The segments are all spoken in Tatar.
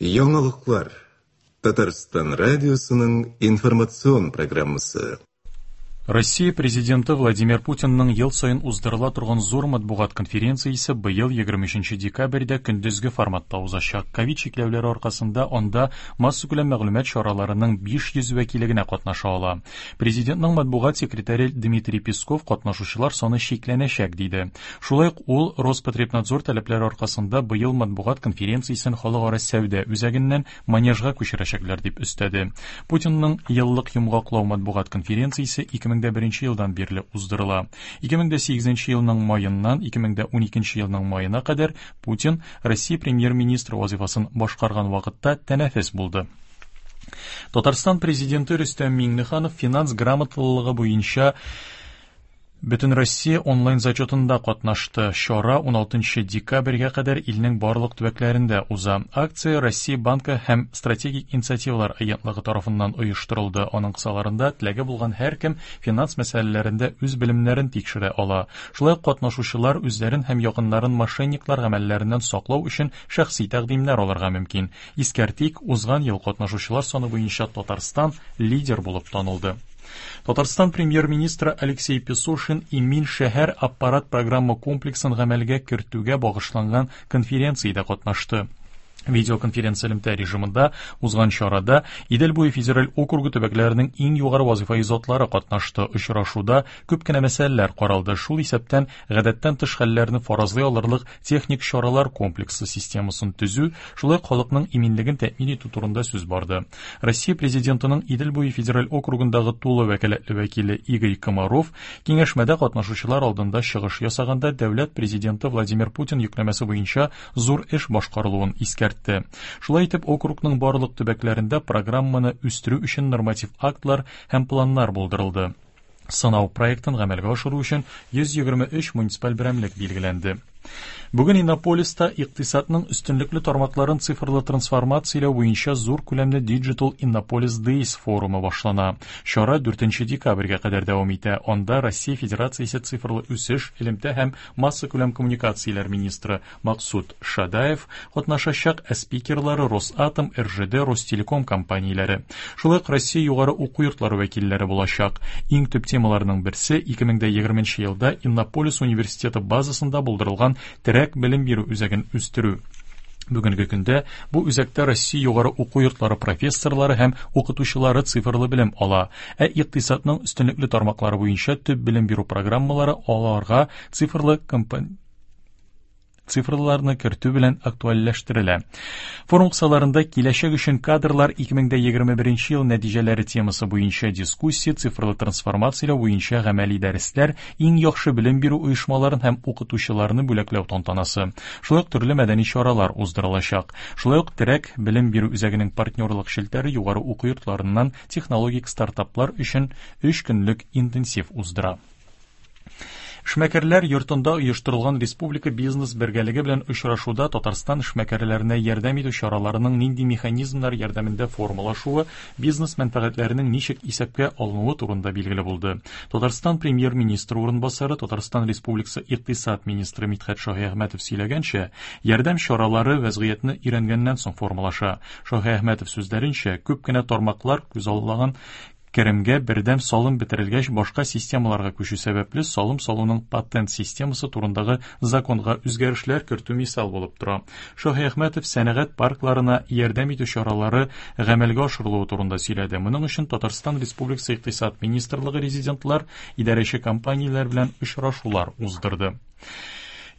Яңалыклар. Татарстан радиосының информацион программасы. Россия Президенты Владимир Путинның ел саен уздырыла торган зур матбугат конференциясе быел 23 декабрьдә көндезге форматта узачак. Ковид чикләүләре аркасында анда массакүләм мәгълүмат чараларының 500 вәкиле генә катнаша ала. Президентның матбугат секретаре Дмитрий Песков катнашучылар саны чикләнәчәк, диде. Шулай ук ул Роспотребнадзор таләпләре аркасында быел матбугат конференциясен халыкара сәүдә үзәгеннән Манежга күчерәчәкләр, дип өстәде. Путинның еллык йомгаклау матбугат конференциясе 2001 елдан бирле уздырыла. 2008 елның маеннан 2012 елның маена кадәр Путин Россия премьер-министры вазифасын башкарган вакытта тәнәфес булды. Татарстан президенты Рөстәм Миңнеханов финанс грамоталылыгы буенча Бөтенроссия онлайн-зачетында катнашты. Чара 16 декабрьгә кадәр илнең барлык төбәкләрендә уза. Акция Россия Банкы һәм Стратегик инициативалар агентлыгы тарафыннан оештырылды. Аның кысаларында теләге булган һәркем финанс мәсьәләләрендә үз белемнәрен тикшерә ала. Шулай ук катнашучылар үзләрен һәм якыннарын мошенниклар гамәлләреннән саклау өчен шәхси тәкъдимнәр алырга мөмкин. Искәртик, узган ел катнашучылар саны буенча Татарстан лидер булып танылды. Татарстан премьер-министры Алексей Песошин Имин шәһәр аппарат программа комплексын гамәлгә кертүгә багышланган конференциядә катнашты. Видеоконференция элемтә режимында узган чарада Идел буе федераль округы төбәкләренең иң югары вазифаи затлары катнашты. Очрашуда күп кенә мәсьәләләр каралды, шул исәптән гадәттән тыш хәлләрне фаразлый алырлык техник чаралар комплексы системасын төзү, шулай ук халыкның иминлеген тәэмин итү турында сүз барды. Россия Президентының Идел буе федераль округындагы тулы вәкаләтле вәкиле Игорь Комаров киңәшмәдә катнашучылар алдында чыгыш ясаганда дәүләт президенты Владимир Путин йөкләмәсе буенча зур эш башкарылуын искәртте. Шулай итеп, округның барлык төбәкләрендә программаны үстерү өчен норматив актлар һәм планнар булдырылды. Сынау проектын гамәлгә ашыру өчен 123 муниципаль берәмлек билгеләнде. Бүген Иннополиста икътисадның өстенлекле тармакларын цифрлы трансформацияләү буенча зур күләмле Digital Innopolis Days форумы башлана. Чара 4 декабрьгә кадәр дәвам итә. Анда Россия Федерациясе цифрлы үсеш, элемтә һәм массакүләм коммуникацияләр министры Максут Шадаев катнашачак, ә спикерлары Росатом, РЖД, Ростелеком компанияләре. Шулай ук Россия югары уку йортлары вәкилләре булачак. Иң төп темаларның берсе 2020 елда Иннополис университеты базасында булдырылган терәк белем бирү үзәген үстерү. Бүгенге көндә бу үзәктә Россия югары уку йортлары профессорлары һәм укытучылары цифрлы белем ала, ә икътисадның өстенлекле тармаклары буенча төп белем бирү программалары аларга цифрлы цифрларны кертү белән актуальләштерелә. Форум кысаларында киләчәк өчен кадрлар 2021 ел нәтиҗәләре темасы буенча дискуссия, цифрлы трансформацияләү буенча гамәли дәресләр, иң яхшы белем бирү оешмаларын һәм укытучыларны бүләкләү тантанасы, шулай ук төрле мәдәни чаралар уздырылачак. Шулай ук терәк белем бирү үзәгенең партнерлык челтәре югары уку йортларыннан технологик стартаплар өчен 3 көнлек интенсив уздыра. Эшмәкәрләр йортында оештырылган республика бизнес бергәлеге белән очрашуда Татарстан эшмәкәрләренә ярдәм итү чараларының нинди механизмнар ярдәмендә формалашуы, бизнес мәнфәгатьләренең ничек исәпкә алынуы турында билгеле булды. Татарстан премьер-министры урынбасары, Татарстан Республикасы икътисад министры Мидхәт Шаһиәхмәтов сөйләгәнчә, ярдәм чаралары вәзгыятьне өйрәнгәннән соң формалаша. Шаһиәхмәтов сүзләренчә, күп кенә тармаклар күзаллаган Керемгә бердәм салым бетерелгәч башка системаларга күчү сәбәпле салым салуның патент системасы турындагы законга үзгәрешләр кертү мисал булып тора. Шаһиәхмәтов сәнәгать паркларына ярдәм итү чаралары гамәлгә ашырылуы турында сөйләде. Моның өчен Татарстан Республикасы Икътисад министрлыгы резидентлар, идарәче компанияләр белән очрашулар уздырды.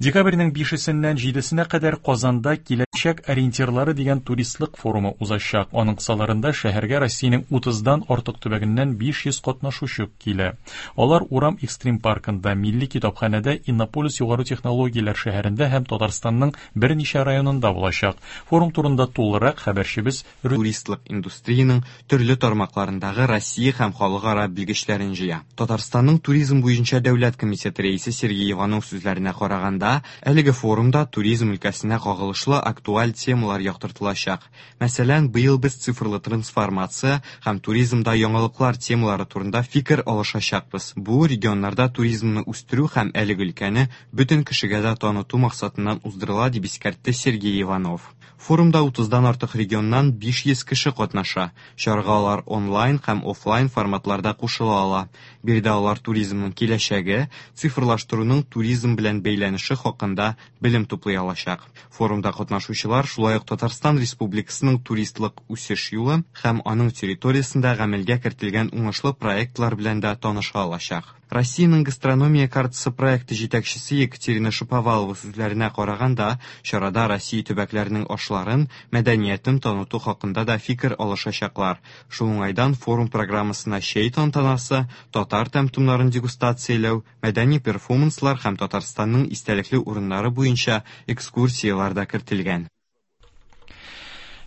Декабрьнең 5-сеннән 7-сенә кадәр Казанда Киләчәк ориентирлары дигән туристлык форумы узачак. Аның кысаларында шәһәргә Россиянең 30-дан артык төбәгеннән 500 катнашучы килә. Алар Урам экстрим паркында, Милли китапханәдә, Иннополис югары технологияләр шәһәрендә һәм Татарстанның берничә районында булачак. Форум турында тулырак хәбәрчебез туристлык индустриянең төрле тармакларындагы Россия һәм халыкара белгечләрен җыя. Татарстанның туризм буенча дәүләт комитеты рәисе Сергей Иванов сүзләренә караганда, әлеге форумда туризм өлкәсенә кагылышлы актуаль темалар яктыртылачак. Мәсәлән, быел без цифрлы трансформация һәм туризмда яңалыклар темалары турында фикер алышачакбыз. Бу регионнарда туризмны үстерү һәм әлеге өлкәне бөтен кешегә дә таныту максатыннан уздырыла, дип искәртте Сергей Иванов. Форумда 30-дан артык регионнан 500 кеше катнаша. Чарага алар онлайн һәм офлайн форматларда кушыла ала. Биредә алар туризмның киләчәге, цифрлаштыруның туризм белән бәйләнеше хакында белем туплый алачак. Форумда катнашучылар шулай ук Татарстан Республикасының туристлык үсеш юлы һәм аның территориясендә гамәлгә кертелгән уңышлы проектлар белән дә таныша алачак. Россиянең гастрономия картасы проекты җитәкчесе Екатерина Шаповалова сүзләренә караганда, чарада Россия төбәкләренең ашларын, мәдәниятен таныту хакында да фикер алышачаклар. Шул уңайдан форум программасына чәй тантанасы, татар тәм-томнарын дегустацияләү, мәдәни перформанслар һәм Татарстанның истәлекле урыннары буенча экскурсияләр дә кертелгән.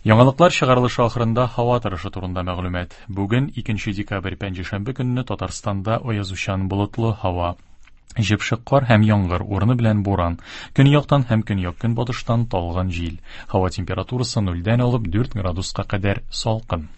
Яңалыклар чыгарылышы ахырында һава торышы турында мәгълүмат. Бүген 2 декабрь пәнҗешәмбе көнне Татарстанда аязучан болытлы һава. Җепшек кар һәм яңгыр, урыны белән буран. Көньяктан һәм көньяк-көнбатыштан талгын җил. Һава температурасы нульдән алып 4 градуска кадәр салкын.